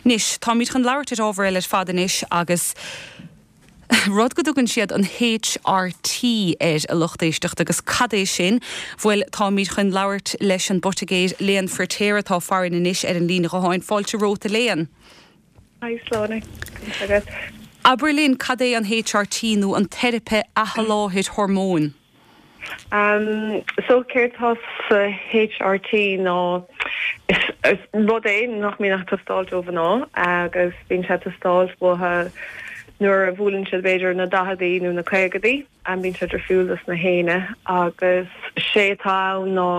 Anois, táimid chun labhairt ar ábhar eile ar fad anois agus rud go dtugann siad an HRT air, a lucht éisteachta, agus cad é sin? Bhuel, táimid chun labhairt leis an bpoitigéir Léan Firtéar atá farainn anois ar an líne ghutháin. Fáilte romhat, a Léan. Hi Sláine, conas tá agat? Abair linn, cad é an HRT nó an teiripe athsholáthair hormóin? So céard tá sa HRT ná is rud é nach mbíonn ag teastáilt ó mhná agus bíonn sé ag teastáilt uathu nuair a bhuaileann siad b'fhéidir na daicheadaí nó na caogadaí, bíonn sé difriúil dos na héinne agus sé atá ann ná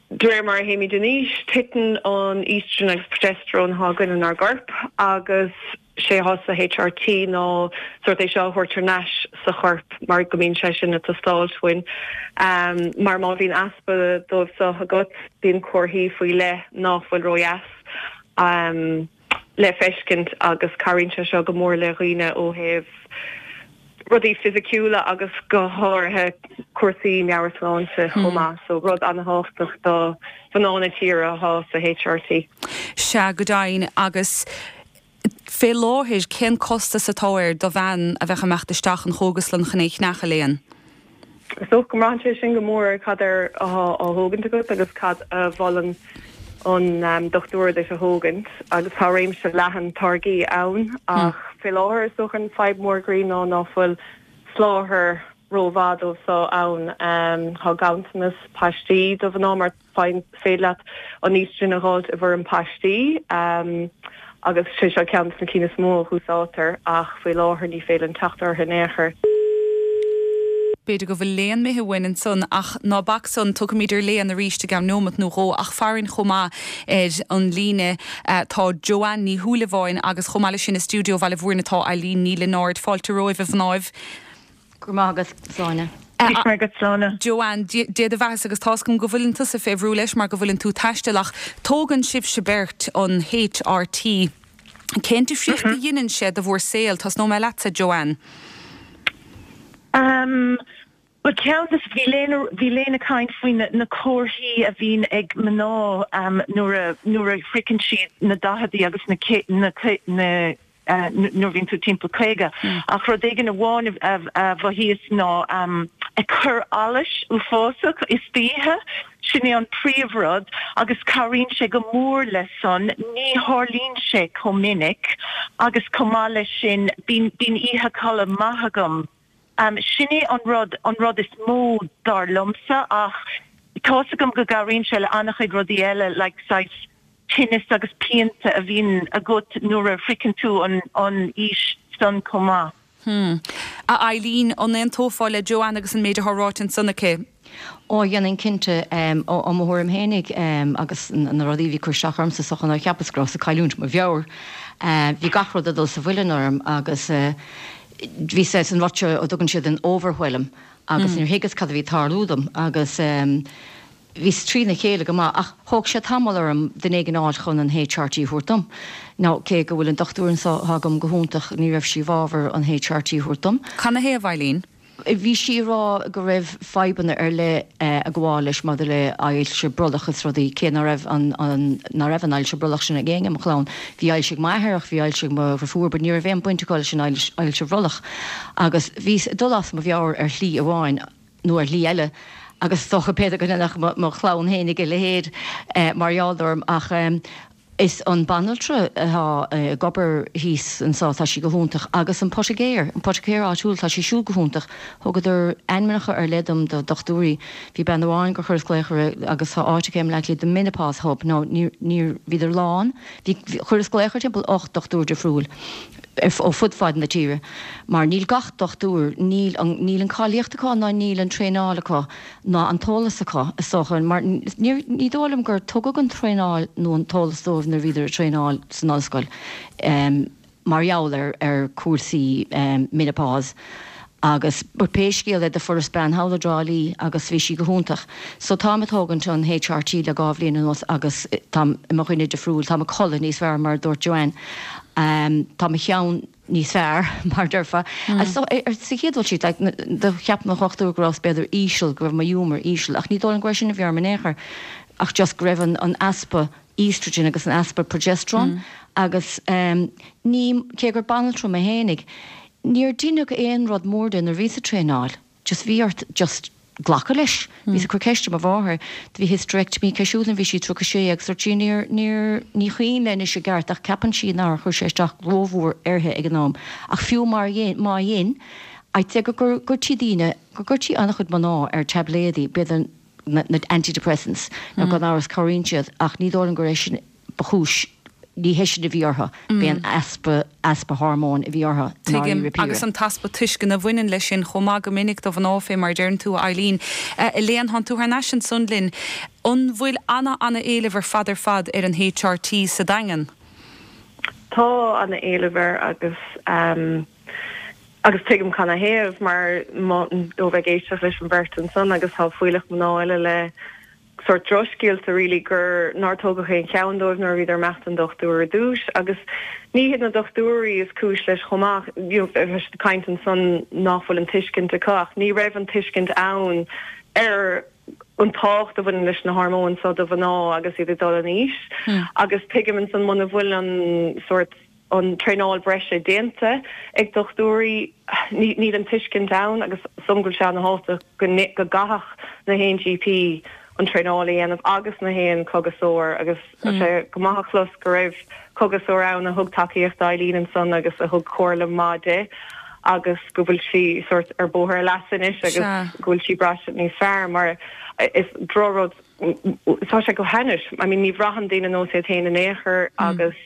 De réir mar a théimid in aois, titeann an estrogen agus progesterone atá againn inár gcorp agus sé atá sa HRT ná sórt é seo a thabhairt thar n-ais sa chorp mar go mbíonn sé sin ag teastáilt uainn. Mar má bhíonn easpa dóibh seo agat, bíonn comharthaí faoi leith nach bhfuil ródheas le feiscint agus cabhraíonn sé seo go mór le dhaoine ó thaobh rudaí fisiciúla agus go háirithe cúrsaí meabhairshláinte chomh maith. So rud an-thábhachtach do mhná na tíre atá sa HRT. Sea, go deimhin. Agus fé láthair, cén costas atá air do bhean a bheadh ag imeacht isteach an chógaslann chun é a cheannach, a Léan? Is dócha go mbraitheann sé sin go mór ar cad air atá á thógaint agat agus cad a mholann an dochtúir duit a thógaint agus tá réimse leathan táirgí ann ach fé láthair is dócha an fadhb mór groí ná ná fuil soláthar rómhaith dóibh so ann. Tá ganntanas paistí do mhná mar Faigheann, féidir leat an estrogen a dh'fháilt i bhfoirm paistí agus sé seo ceann de na cinn is mó a húsáidtear ach faoi láthair ní féidir linn teacht orthu in aon chor. B'fhéidir go bhfuil Léan imithe uainn ansan ach ná bac san, tiocfaimid ar Léan arís i gceann neomat nó dhó ach farainn chomh maith ar an líne tá Joanne Ní Shúilleabháin agus chomh maith leis sin i stiúideo Bhaile Mhúirne tá Eileen Ní Lionáird. Fáilte romhaibh a mhnáibh. Go raibh maith agat, Sláine. Go raibh maith agat, Sláine. Joanne, Dé do bheathasa agus tá's agam go bhfuileann tusa fé bhrú leis mar go bhfuileann tú ag taisteal ach tógann sibhse beirt an HRT. Cén difríocht a dheineann sé do bhur saol? Tosnóidh mé leatsa, Joanne. Umm, bhuel ceann de, bhí Léan, bhí Léan ag caint faoi na, na comharthaí a bhíonn ag mná nuair a, nuair a shroicheann siad na daicheadaí agus na, na, na, nuair a bhíonn tú timpeall 50. Ach rud éigin amháin a mhothaíos ná ag cur allais uafásach istoíche, sin é an príomhrud agus cabhraíonn sé go mór le san, ní tharlaíonn sé chomh minic agus chomh maith leis sin bíonn oíche codladh maith agam. Sin é an rud, an rud is mó dar liomsa ach tá's agam go gcabhraíonn sé le an-chuid rudaí eile like saghas tinneas agus pianta a bhíonn agat nuair a shroicheann tú an aois san chomh maith. Hmm. A Eileen, an aontófá le Joanne agus an méid atá ráite ansan aici? Ó, dhéanfainn cinnte. Ó mo thuairim fhéinig agus na rudaí a bhí ag cur isteach ormsa is dócha ná cheapas go rabhas ag cailliúint mo mheabhair. Bhí gach rud ag dul sa mhuileann orm agus bhí saghas an rud seo a dtugann siad an overwhelm agus níor thuigeas cad a bhí ag tarlú dom agus Bhíos trína chéile go maith ach thóg sé tamall orm duine éigin a fháil chun an HRT a thabhairt dom. Now cé go bhfuil an dochtúir anso atá agam go hiontach ní raibh sí i bhfabhar an HRT a thabhairt dom. Canathaobh, Eileen? Bhí sí ag rá go raibh fadhbanna ar leith ag gabháil leis maidir le ailse brollach is rudaí, cé ná raibh an ná raibh an ailse brollach sin ag éinne i mo chlann. Bhí ailse ag m'athair ach bhí ailse ag mo dhrifiúr but ní raibh aon baint acu leis an ailse bhrollach. Agus bhíos ag dul as mo mheabhair ar shlí amháin. nó ar shlí eile, agus is dócha b'fhéidir go ndéanfadh mo chlann fhéinig a leithéid mar gheall orm, ach is an banaltra atá ag obair thíos anso, tá sí go hiontach, agus an poitigéir, an poitigéir áitiúil, tá sí siúd go hiontach. Thugadar ainmneacha ar leith dom do dhochtúirí. Bhí bean amháin gur chuireas glaoch uirthi agus tá áit aici i mBleá Cliath, The Menopause Hub, now ní, níor, bhíodar lán, bhí, chuireas glaoch ar timpeall 8 dochtúir difriúil. ó fud fad na tíre, mar níl gach dochtúir, níl an, níl an cáilíocht acu ná níl an traenáil acu ná an t-eolas acu, is dócha, mar níor, ní dóigh liom gur tugadh an traenáil nó an t-eolas dóibh nuair a bhíodar ag traenáil san ollscoil mar gheall ar, ar chúrsaí menopause. Agus but pé scéal é do fuaireas bean thall i dTrá Lí agus bhí sí go hiontach. So táim ag tógaint an HRT le dhá bhliain anuas agus táim i mo dhuine difriúil, táim ag codladh níos fearr mar a dúirt Joanne. Tá mo cheann níos fearr mar a déarfá. So ar sa chéad dul síos like do cheap mo dhochtúir go rabhas b'fhéidir íseal, go raibh mo ghiúmar íseal ach ní dóigh liom go raibh sin a bhí orm in aon chor ach just go raibh an an easpa estrogen agus an easpa progesterone. Agus ní, cé gur banaltra mé fhéinig, níor deineadh aon rud mór de nuair a bhíos ag traenáil. Just bhí ort just glacadh leis. Bhíos ag cur ceiste ar mo mháthair, do bhí hysterectomy aici siúd nuair a bhí sí 36 agus dúirt sí níor, níor, ní cuimhin léi anois i gceart ach ceapann sí nár chuir sé isteach rómhór uirthi ag an am. Ach fiú mar dhein, má dhein, I'd say go gcuirtí daoine, go gcuirtí an-chuid mná ar taibléadaí, b'fhéidir na, na antidepressants, nó gan amhras cabhraíonn siad ach ní dóigh liom gur é sin ba chúis, ní hé sin a bhí orthu, b'é an easpa, easpa hormóin a bhí orthu i Tuigim, ndáiríre píre. Agus an t-easpa tuisceana a bhaineann leis sin chomh maith go minic do mhná fé mar a deireann tú, a Eileen. Elaine, thánn tú thar n-ais ansan linn. An bhfuil ana, ana éileamh ar fad ar fad ar an HRT sa Daingean? Tá ana éileamh air agus agus tuigim canathaobh mar ó bheith ag éisteacht leis an bheirt ansan agus tá fuílleach mná eile le sórt drochscéalta really gur nár tógadh aon cheann dóibh nuair a bhíodar ag imeacht don dochtúir ar dtús agus ní hiad na dochtúirí is cúis leis chomh maith, you know bhí siad ag caint ansan nach bhfuil an tuiscint acu ach ní raibh an tuiscint ann ar an tábhacht a bhaineann leis na hormóin seo do mhná agus iad ag dul in aois agus tuigim ansan muna bhfuil an sórt an traenáil breise déanta ag dochtúirí, níl an tuiscint ann agus is dóigh liom go bhfuil sé ana-thábhachtach go gcaithfeadh na haon GP an traenáil a dhéanamh agus na haon cógaiseoir agus tá sé go maith a chlos go raibh cógaiseoir ann a thug tacaíocht d'Eileen ansan agus a thug comhairle maith di agus go bhfuil sí sórt ar bóthar a leasa anois agus go bhfuil sí ag braistint níos fearr mar is drochrud tá sé go hainnis. I mean ní bhraitheann daoine nós iad féin in aon chor agus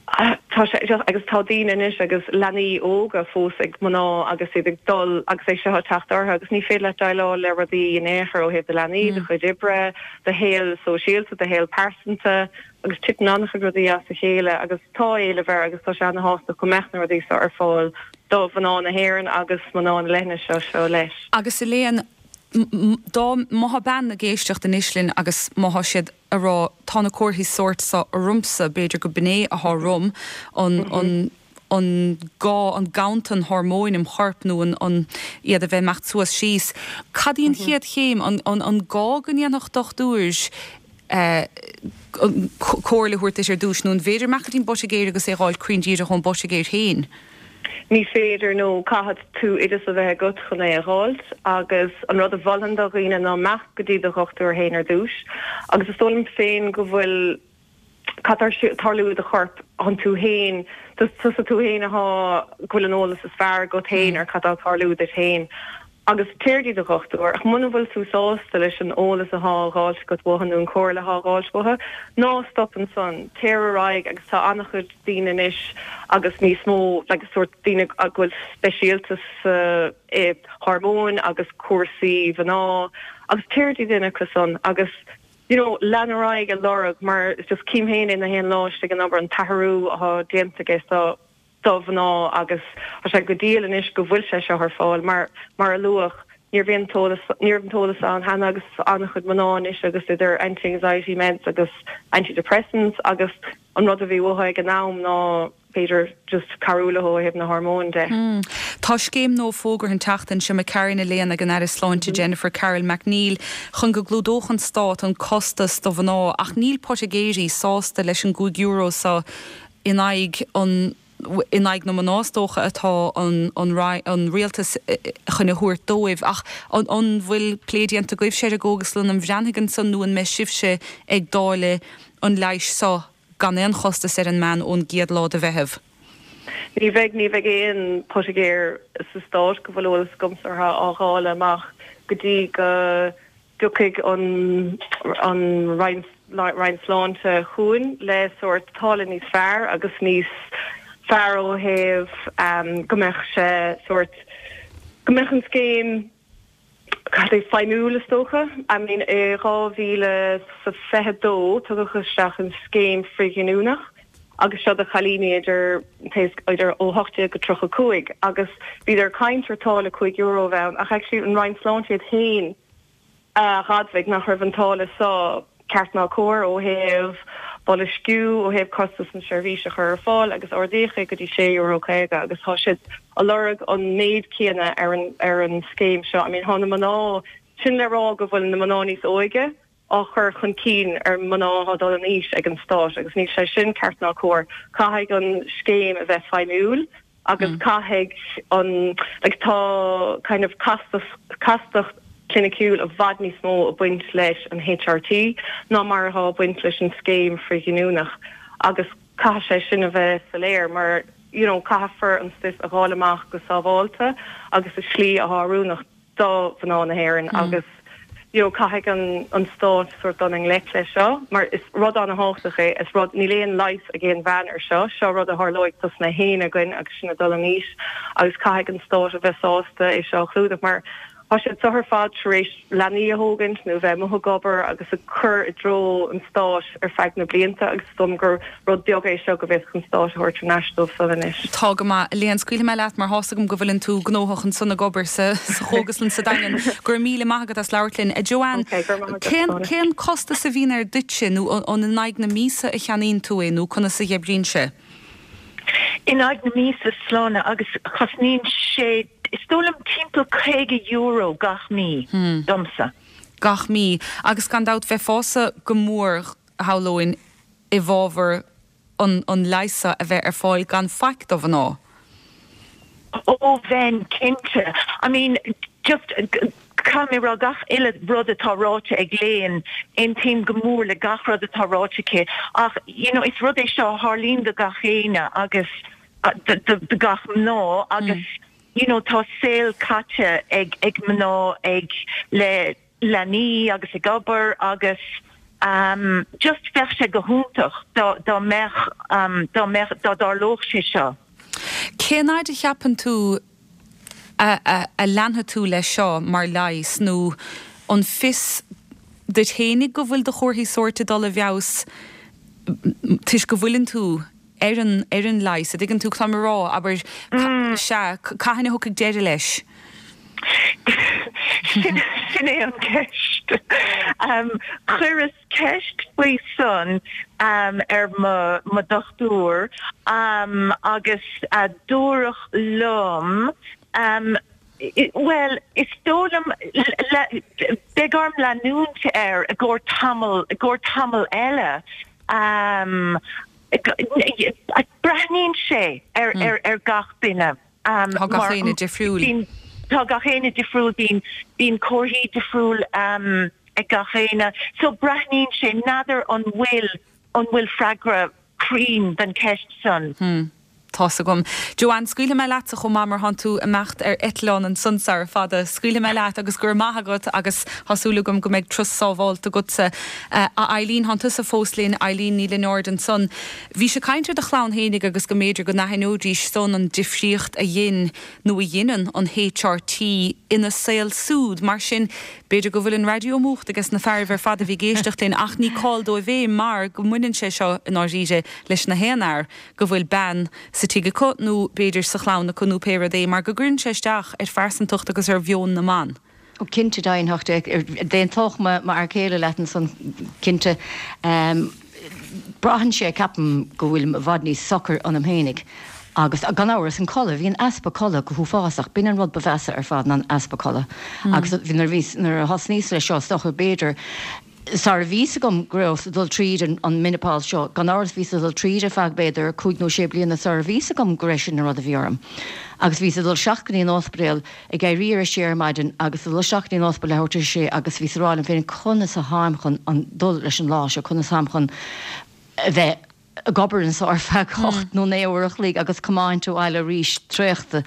tá sé just agus tá daoine anois agus leanaí óga fós ag mná agus iad ag dul agus é seo ag teacht orthu agus ní féidir leat déileáil le rudaí in aon chor ó thaobh do leanaí, do chuid oibre, do shaol sóisialta, do shaol pearsanta agus titeann an-chuid rudaí as a chéile agus tá éileamh air agus tá sé ana-thábhachtach go mbeadh na rudaí seo ar fáil do mhná na hÉireann agus mná na leithinise seo leis. Agus Elaine, dá má thá bean ag éisteacht anois linn agus má thá siad a rá tá na comharthaí sóirt so ormsa, b'fhéidir go b'in é athá orm, an, an, an gá, an ganntan hormóin im chorp nó an, an, iad a bheith imeacht suas síos. Cad í an chéad chéim? An, an, an gá go ndéanfadh dochtúir comhairle a thabhairt duit ar dtús nó an bhféidir imeacht go dtí an bpoitigéir agus é a dh'fháil cruinn díreach ón bpoitigéir féin? Ní féidir nó caithfidh tú oideas a bheith agat chun é a dh'fháilt agus an rud a mholfainn do dhaoine ná imeacht go dtí do dhochtúir féin ar dtús agus is dóigh liom féin go bhfuil cad tá ag tarlú i do chorp thánn tú féin tusa tú féin athá go bhfuil an eolas is fearr agat féin ar cad tá ag tarlú duit féin agus téir dtí do dhochtúir ach muna bhfuil tú sásta leis an eolas athá á dh'fháilt agat uathu nó an chomhairle athá á dh'fháilt uathu ná stop ansan téir ar aghaidh agus tá an-chuid daoine anois agus níos mó like sórt daoine go bhfuil speisialta sa i hormóin agus cúrsaí mhná agus téir dtí duine acu san agus you know lean ar aghaidh ag lorg mar just cím féin é na haon lá istigh in obair an t-athrú athá déanta aige so do mhná agus tá sé go diail anois go bhfuil sé seo ar fáil mar, mar a luadh, ní raibh aon t-eolas, ní raibh an t-eolas ann cheana agus an-chuid mná anois agus idir anti-anxiety meds agus antidepressants agus an rud a bhí uathu ag an am ná b'fhéidir just cabhrú leo ó thaobh na hormóin de. Tá scéim nua fógartha an tseachtain seo imigh tharainn Elaine ag an Aire Sláinte Jennifer Carroll MacNeill chun go gclúdódh an stát an costas do mhná ach níl poitigéirí sásta leis an gcúig euro seo in aghaidh an in aghaidh na mná is dócha atá an an rialtas chun a thabhairt dóibh. Ach an an bhfuil plé déanta agaibhse ar an gcógaslann an Bhreathnaigh ansan nó an mbeidh sibhse ag dáileadh an leighis seo gan aon chostas ar an mbean ón gcéad lá de Mheitheamh? Ní bheidh, ní bheidh aon poitigéir sa stát go bhfuil eolas agamsa orthu á dháileadh amach go dtí go dtiocfaidh an an Roinn Roinn Sláinte chugainn le sórt táille níos fearr agus níos fearr ó thaobh go mbeadh sé sórt go mbeadh an scéim cad é feidhmiúil is dócha. I mean i 2022 tugadh isteach an scéim frithghiniúnach agus seo do chailíní idir idir ó 18 go 35 agus bhíodar ag caint ar táille €5 a bheith ann ach actually an Roinn Sláinte iad féin a dh'admhaigh nach raibh an táille seo ceart ná cóir ó thaobh boilsciú, ó thaobh costas na seirbhíse a chur ar fáil agus ardaíodh é go dtí €6.50 agus tá siad a lorg an méid céanna ar an ar an scéim seo. I mean thá na mná, sin le rá go bhfuil na mná níos óige. á chur chun cinn ar mná atá ag dul in aois ag an stát agus níl sé sin ceart ná cóir. Caithfidh an scéim a bheith feidhmiúil agus caithfidh an, like tá kind of castas, castacht chliniciúil i bhfad níos mó ag baint leis an HRT ná mar atá ag baint leis an scéim frithghiniúnach agus caithfidh sé sin a bheith soiléir mar you know caithfear an stuif a dháileadh amach go sábháilte agus i slí atá oiriúnach do mhná na hÉireann agus you know caithfidh an an stát sort dul i ngleic leis seo mar is rud an-thábhachtach é, is rud, níl aon leigheas ag aon bhean ar seo, seo rud a tharlóidh dos na héinne againn agus sinn ag dul in aois agus caithfidh an stát a bheith sásta é seo a chlúdach mar tá siad seo ar fad tar éis leanaí a thógaint nó bheith amuigh ag obair agus ag cur i dtreo an stáit ar feadh na blianta agus is dóigh liom gur rud beag é seo go bhféadfadh an stát a thabhairt thar n-ais dóibh san anois. Tá go maith. A Léan, scaoilfidh mé leat mar tá's agam go bhfuileann tú gnóthach ansan ag obair sa chógaslann sa Daingean. Go raibh míle maith agat as labhairt linn. A Joanne, Ok, go raibh maith agat, cén, Sláine. cén costas a bhíonn air duitse nó an in aghaidh na míosa a cheannaíonn tú é nó conas a dh'oibríonn sé? In aghaidh na míosa, Sláine, agus cosnaíonn sé, is dóigh liom timpeall €50 gach mí domsa. Gach mí. Agus gan dabht bheifeása go mór, shamhlóinn, i bhfabhar an an leigheas seo a bheith ar fáil gan faic do mhná. Ó bheinn, cinnte. I mean, just, caithfidh mé a rá, gach uile rud atá ráite ag Léan, aontaím go mór le gach rud atá ráite aici ach, you know, is rud é seo a tharlaíonn do gach éinne agus do gach mná agus, you know, tá saol caite ag ag mná ag le leanaí agus ag obair agus just bheadh sé go hiontach dá dá mbeadh dá mbeadh dá dtarlódh sé seo. Cén fhaid a cheapann tú a a a leanfaidh tú leis seo mar leigheas nó an fios duit fhéinig go bhfuil do chomharthaí sóirt ag dul i bhfeabhas toisc go bhfuileann tú ar an ar an leigheas, a dtuigeann tú cad táim a rá, abair, sea, cathain a thiocfaidh deireadh leis? Sin sin é an ceist. Chuireas ceist faoi san ar mo mo dochtúir agus dúradh liom bhuel, is dóigh liom beidh orm leanúint air i gcomhair tamall i gcomhair tamall eile. Breathnaíonn sé ar gach duine. Tá gach éinne difriúil. Tá gach éinne difriúil, bíonn comharthaí difriúil ag gach éinne. So breathnaíonn sé, n'fheadar an bhfuil, an bhfuil freagra cruinn don cheist san. Tá's agam. Joanne, scaoilfidh mé leatsa chomh maith mar thánn tú ag imeacht ar eitleán ansan sara fada. Scaoilfidh mé leat agus go raibh maith agat agus tá súil agam go mbeidh turas sábhálta agatsa. A Eileen, thánn tusa fós linn. Eileen Ní Lionáird ansan. Bhís ag caint ar do chlann fhéinig agus go mb'fhéidir go n-aithneoidís san an difríocht a dhein nó a dheineann an HRT ina saol súd. Mar sin, b'fhéidir go bhfuil an raidió múchta ages na fearaibh ar fad a bhí ag éisteacht linn ach ní call dóibh é mar go mbaineann sé seo i ndáiríre leis na haon fhear. go bhfuil bean sa tigh acu nó b'fhéidir sa chlann acu nó pé rud é, mar go gcuireann sé isteach ar phearsantacht agus ar mheon na mban. Ó cinnte, d'aontódh, d'aontódh m'fhear céile leat ansan, cinnte. Braitheann sé, ceapaim, go bhfuilim i bhfad níos socair ionam fhéinig. Agus gan amhras, an codladh, bhí an easpa codladh go huafásach, b'in an rud ba mheasa ar fad ná an easpa codladh. Agus nuair a bhíos, nuair a thosnaíos leis seo, is dócha, b'fhéidir, Sara bhí fhios agam go rabhas ag dul tríd an menopause seo, gan amhras bhíos ag dul tríd ar feadh b'fhéidir cúig nó sé bliana sara bhí fhios agam go raibh sin an rud a bhí orm. Agus bhíos ag dul isteach go dtí an ospidéal, ag éirí ar a sé ar maidin agus ag dul isteach go dtí an ospidéal leathuair tar éis a sé agus bhíos ag rá liom féin conas a tháim chun an dul leis an lá seo, conas atáim chun a bheith ag obair anso ar feadh 8 nó 9 uair a chloig agus comáint abhaile arís traochta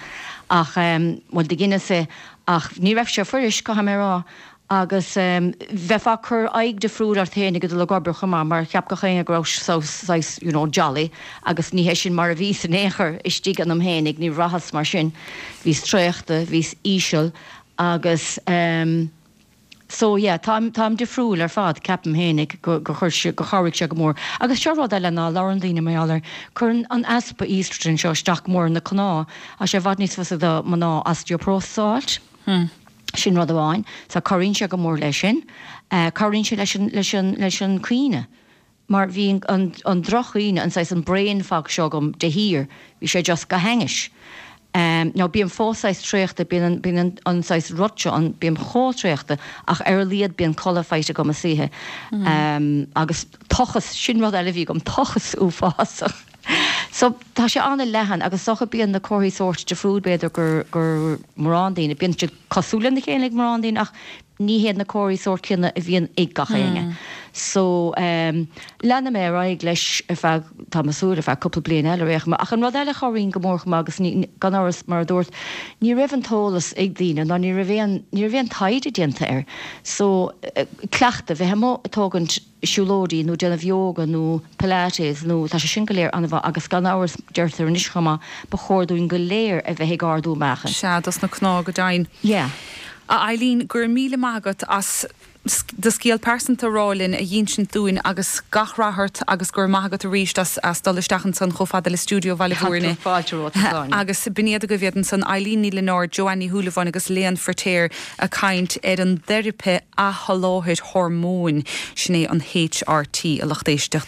ach bhuel do dheineas é ach ní raibh sé fuirist, caithfidh mé a rá agus bheifeá ag cur aghaidh difriúil ort féin ag dul ag obair chomh maith mar cheap gach éinne go rabhas saghas you know jolly agus ní hé sin mar a bhíos in aon chor istigh ionam féinig, ní bhraitheas mar sin. Bhíos traochta, bhíos íseal agus. So yeah, táim, táim difriúil ar fad, ceapaim fhéinig go, gur chuir sé, gur chabhraigh sé go mór. Agus seo rud eile ná labhrann daoine mar gheall air, cuireann an easpa estrogen seo isteach go mór ar na cnámha, tá sé i bhfad níos fusa do mná osteoporosis a fháilt. Sin rud amháin. So cabhraíonn sé go mór leis sin. Cabhraíonn sé leis an, leis an, leis an cuimhne. Mar bhí an, an droch-chuimhne, an saghas, an brain fog seo agam de shíor, bhí sé just go hainnis. Now bím fós saghas traochta, bíonn bíonn an saghas rud seo ann, bím chomh traochta ach ar a laghad bíonn codladh faighte agam istoíche. Agus tochas, sin rud eile a bhí agam, tochas uafásach. So tá sé an-leathan agus is dócha bíonn na comharthaí sóirt difriúil b'fhéidir gur gur mórán daoine, bíonn siad cosúil lena chéile ag mórán daoine ach ní hiad na comharthaí sóirt céanna a bhíonn ag gach éinne. So leanfaidh mé ar aghaidh leis ar feadh, tá mé ag súil, ar feadh cúpla bliain eile ar aon chuma. Ach an rud eile a chabhraíonn go mór chomh maith agus ní, gan amhras, mar a dúrt, ní raibh an t-eolas ag daoine ná ní raibh aon, ní raibh aon taighde déanta air. So cleachtadh, bheith amuigh ag tógaint, siúlóidí nó déanamh yoga nó pilates nó tá sé sin go léir an-mhaith agus gan amhras deirtear anois chomh maith ba chóir dúinn go léir a bheith ag ardú meáchain. Sea, dos na cnámha go deimhin. Yeah. A Eileen, go raibh míle maith agat as do scéal pearsanta a rá linn, a dh'insint dúinn agus gach rath ort agus go raibh maith agat arís as as dul isteach ansan chomh fada le stiúideo Bhaile Bhúirne. Tá fáilte romhat, a Shláine. Agus b'in iad agaibh iad ansan, Eileen Ní Lionáird, Joanne Ní Shúilleabháin agus Léan Firtéar ag caint ar an dteiripe athsholáthair hormóin, sin é an HRT, a lucht éisteachta.